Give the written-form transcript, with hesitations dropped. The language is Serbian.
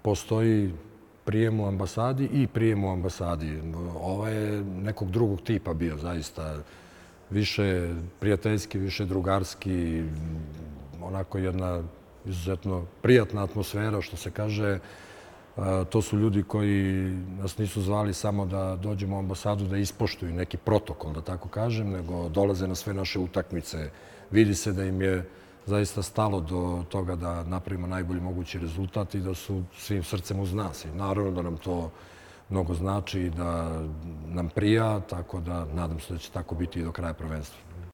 postoji prijem u ambasadi i prijem u ambasadi. Ovo je nekog drugog tipa bio, zaista. Više prijateljski, više drugarski, onako jedna izuzetno prijatna atmosfera, što se kaže. To su ljudi koji nas nisu zvali samo da dođemo u ambasadu da ispoštuju neki protokol, da tako kažem, nego dolaze na sve naše utakmice. Vidi se da im je zaista stalo do toga da napravimo najbolji mogući rezultat i da su svim srcem uz nas. I naravno da nam to mnogo znači i da nam prija, tako da nadam se da će tako biti i do kraja prvenstva.